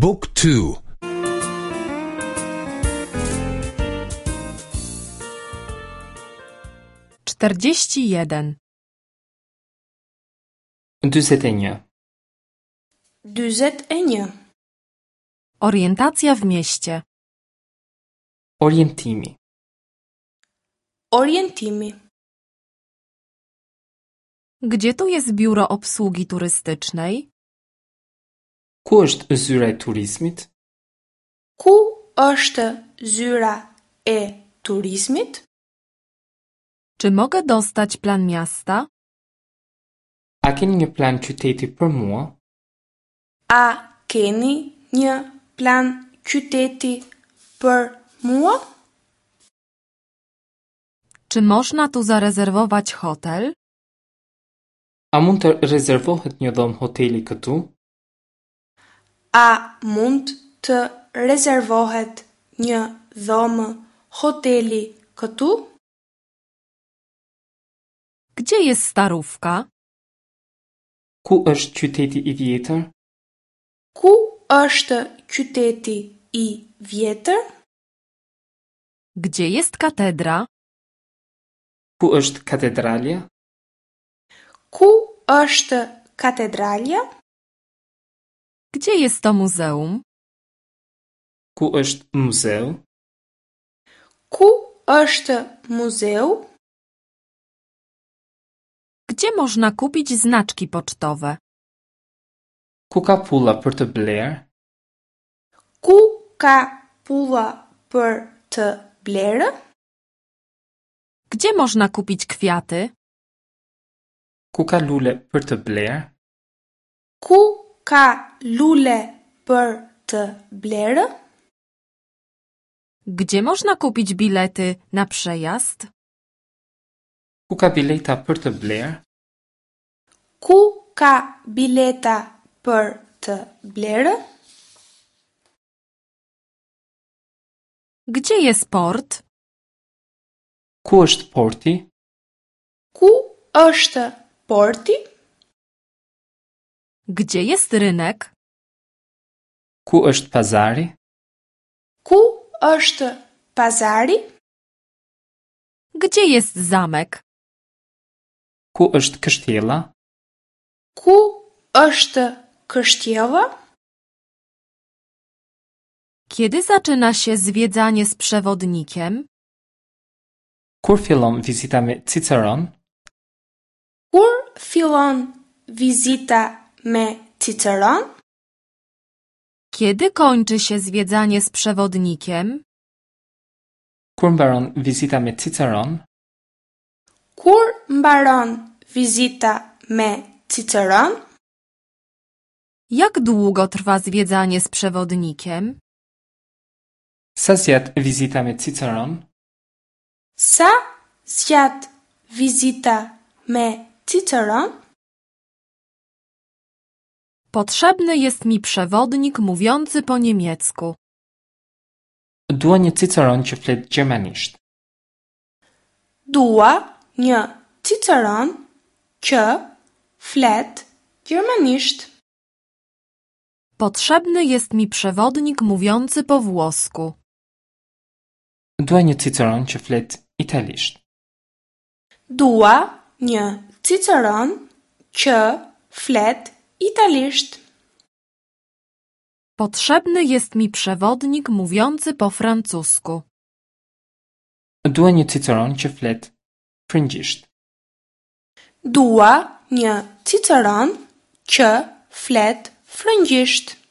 บุ๊กทู 41. 41. 41. Orientacja w mieście. Orientimi. Orientimi. Gdzie tu jest biuro obsługi turystycznej? Ku është zyra e turizmit? Ku është zyra e turizmit? Czy mogę dostać plan miasta? A keni një plan qyteti për mua? A keni një plan qyteti për mua? Czy można tu zarezerwować hotel? A mund të rezervohet një dhomë hoteli këtu? A mund të rezervohet një dhomë hoteli këtu? Gdzie jest starówka? Ku është qyteti i vjetër? Ku është qyteti i vjetër? Gdzie jest katedra? Ku është katedralja? Ku është katedralja? Gdzie jest to muzeum? Ku është muzeu? Ku është muzeu? Gdzie można kupić znaczki pocztowe? Ku ka pulla për të blerë? Ku ka pulla për të blerë? Gdzie można kupić kwiaty? Ku ka lule për të blerë? Ku ka lule për të blerë? Gdzie można kupić bilety na przejazd? Ku ka bileta për të blerë? Ku ka bileta për të blerë? Gdzie jest port? Ku është porti? Ku është porti? Gdzie jest rynek? Ku është pazari? Ku është pazari? Gdzie jest zamek? Ku është kështjella? Ku është kështjella? Kiedy zaczyna się zwiedzanie z przewodnikiem? Kur fillon vizita me Ciceron? Kur fillon vizita me Ciceron? Kiedy kończy się zwiedzanie z przewodnikiem? Kur mbaron vizita me Ciceron? Kur mbaron vizita me Ciceron? Jak długo trwa zwiedzanie z przewodnikiem? Sa zgjat vizita me Ciceron? Sa zgjat vizita me Ciceron? Potrzebny jest mi przewodnik mówiący po niemiecku. Dua një Ciceron që flet gjermanisht. Dua një Ciceron që flet gjermanisht. Potrzebny jest mi przewodnik mówiący po włosku. Dua një Ciceron që flet italisht. Dua një Ciceron që flet italisht. Potrzebny jest mi przewodnik mówiący po francusku. Dua një Ciceron që flet frëngjisht. Dua një Ciceron që flet frëngjisht.